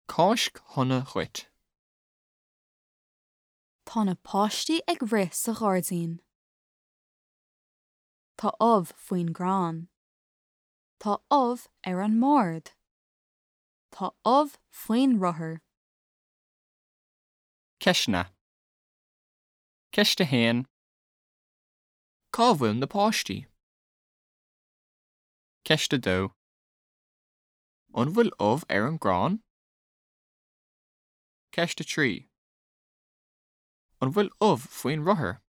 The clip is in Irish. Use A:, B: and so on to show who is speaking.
A: Cáisc shona dhuit.
B: Tá na páistí ag rith sa ghairdín. Tá ubh faoin gcrann. Tá ubh ar an mbord. Tá ubh faoin rothar.
A: Ceisteanna. Ceist 1. Cá bhfuil na páistí? Ceist 2. An bhfuil ubh ar an gcrann? Ceist 3. An bhfuil ubh faoin rothar?